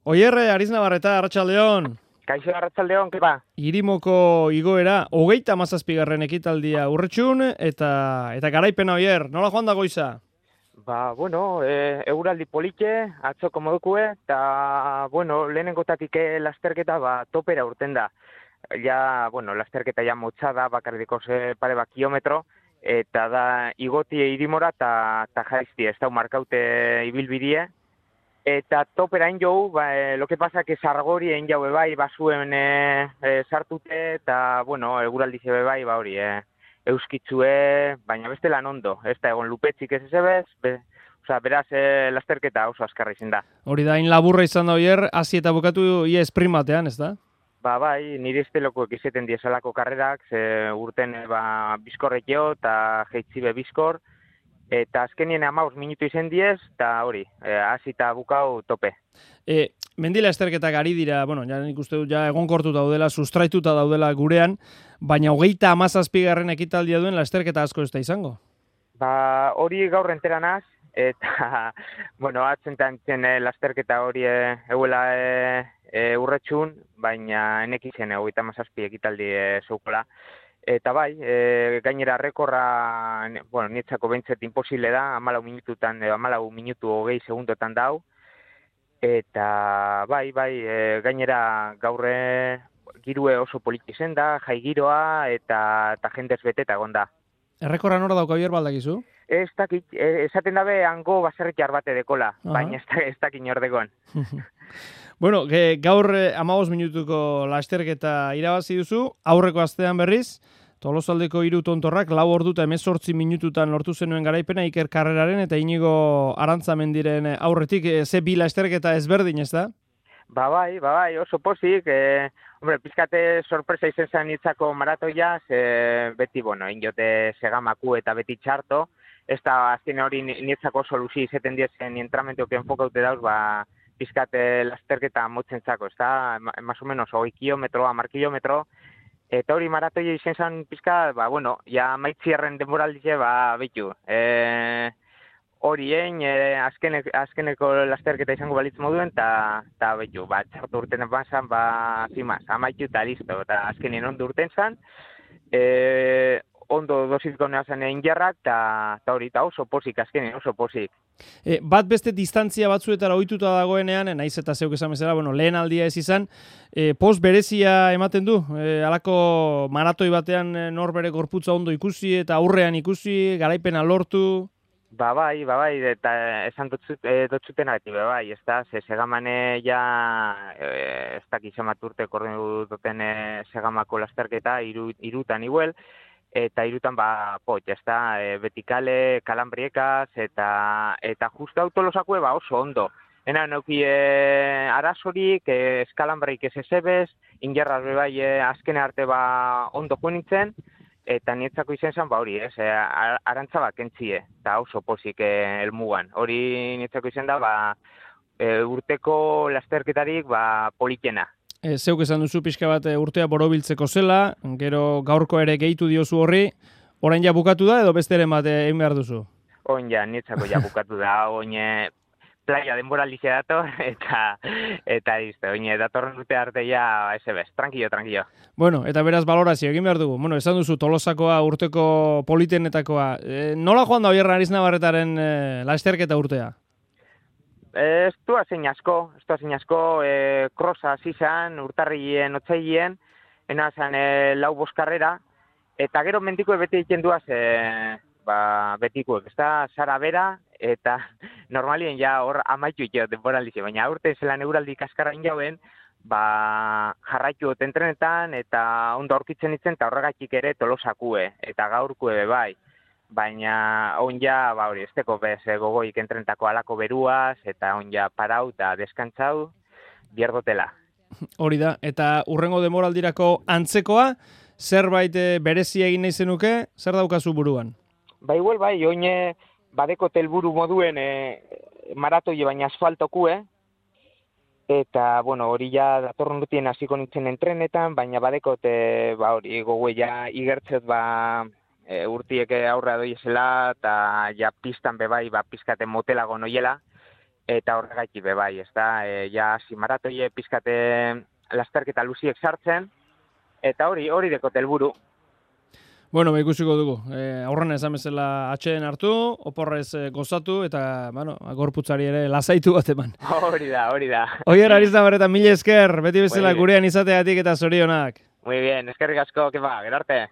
Oier, Ariznabarreta, Arratsaldeon. Kaixo, Arratsaldeon, kepa? Irimoko igoera, 37. ekitaldia urretxun, eta garaipena Oier, nola joan da goiza? Bueno, euraldi polike, atzoko modukue, eta, lehenengotatik lasterketa, topera urten da. Ja, lasterketa ja motza da, bakarriko pare kilometro, eta da igotie irimora, eta jaizti, ez da markaute ibilbidie. Eta topera hain jau, lo que pasa que Sargori hain jau bai, basuen sartute, eta, eguraldi zebe bai, hori, euskitzue, baina beste lan ondo, ez da egon lupetzik ez ezebez, beraz lasterketa oso azkarra izin da. Hori da, hain laburra izan da Oier, hasi eta bukatu ia sprint batean, ez da? Bai, nire estelokoek izeten diesalako karrerak, ze urten bizkorrekio eta jeitzibe bizkor, eta azkenien 15 minutu izen diez, eta hori, hasi eta bukau tope. Mendila esterketak ari dira, ja nik uste dut, egonkortuta daudela, sustraituta daudela gurean, baina 37. ekitaldia duen lasterketa asko ez da izango? Hori gaur enteranaz, eta, atzentan lasterketa hori euela urretxun, baina enek izen 37 ekitaldi zeukola. Eta bai, gainera rekorra, nietzako bentzet imposible da, 14 minututan, 14 minutu 20 segundotan dau. Eta bai, gainera gaurre girue oso poliki zen da, jai giroa eta jendez beteta egon da. Errekorra nora dauka Oier baldakizu? Ez dakit, esaten dabe hango baserritar bate dekola, baina ez dakit nordegon. Gaur 15 minutuko lasterketa irabazi duzu, aurreko astean berriz, Tolosaldeko 3 tontorrak 4 ordu eta 18 minututan lortu zenuen garaipena Iker Karreraren eta Inigo Arantzamendiren aurretik, ze bi lasterketa ezberdin, ez da? Bai, oso pozik, pizkate sorpresa izen zen nitzako maratoia, beti, injote segamaku eta beti txarto, ez da azken hori nitzako soluzi izeten diezen entramentuak enfokaute dauz, pizkate lasterketa motzen zako, ez da, más o menos, 20 kilometro, 10 kilometro, eta hori maratoia izen zen pizka, ja maitzierren denboraldize, behitu. Hori azkeneko lasterketa izango balitz moduen, eta behitu, txartu urten banzan, zimaz, amaitu eta listo, eta azkenien ondo urten zan, ondo dosizko neazan egin jarrak, eta hori, eta oso pozik, azkenien oso pozik. Bat beste distantzia batzuetara ohituta dagoenean, naiz eta zeuk esan bezala, lehen aldia ez izan, post berezia ematen du, halako maratoi batean nor bere gorputza ondo ikusi eta aurrean ikusi, garaipena lortu. Bai, eta esan dotzuten agati, bai, ez da, segamane ja, ez dakiz ematurte korrenu duten segamako lasterketa, irutan iguel, eta irutan ez da, betikale, kalambriekaz, eta justu autolosakue oso ondo. Ena neuki arazorik, eskalambraik ez ezebez, ingerraz bai azkene arte ondo joan nintzen, eta nietzako izen zen, hori, arantzabak entzie, eta oso pozik elmugan. Hori nietzako izen da, urteko lasterketarik politena. Zeuk esan duzu pixka bat urtea borobiltzeko zela, gero gaurko ere gehitu diozu horri, orain ja bukatu da edo besteren bat egin behar duzu? Oin ja, nietzako ja bukatu da, oin playa denboralize dator, eta izte, oin datorren urte arte ja, ez, tranquilo. Eta beraz balorazio egin behar dugu. Esan duzu Tolosakoa urteko politenetakoa. Nola joan da Oier Ariznabarretaren lasterketa urtea? Ez du azein asko, krosa zizan, urtarrien, otzailien, enazan 4-5 karrera, eta gero mendikoe beti egiten duaz, betikoek, ez da, zara bera, eta normalien ja hor amaitu ikeo denboraldize, baina aurten zelan euraldi kaskarra injauen, jarraitu entrenetan, eta ondo aurkitzen itzen, eta horregatik ere Tolosakue, eta gaurkue bai. Baina onja, hori, ez teko bez gogoik entrenetako alako beruaz, eta onja parau eta deskantzau, bierdotela. Hori da, eta urrengo demoraldirako antzekoa, zerbait berezia egin nahi zenuke, zer daukazu buruan? Igual, oine badeko telburu moduen maratoi baina asfaltokue, eta, hori ja datorren dutien hasiko nintzen entrenetan, baina badeko, hori, gogoe ja igertzet, urtiek aurrea doiezela, eta ja pistan bebai, pizkate motelago noiela, eta horregaitik be bai, ez da, ja maratoie pizkate lasterketa luziek sartzen, eta hori dekote helburu. Bueno, ikusiko dugu. Aurrena esan bezala atxeden hartu, oporrez gozatu, eta, bueno, gorputzari ere lasaitu bat eman. Hori da. Oier, Arizabarreta, mila esker, beti bezala gurean izateagatik eta zorionak. Muy bien, eskerrik asko, kepa, gerarte.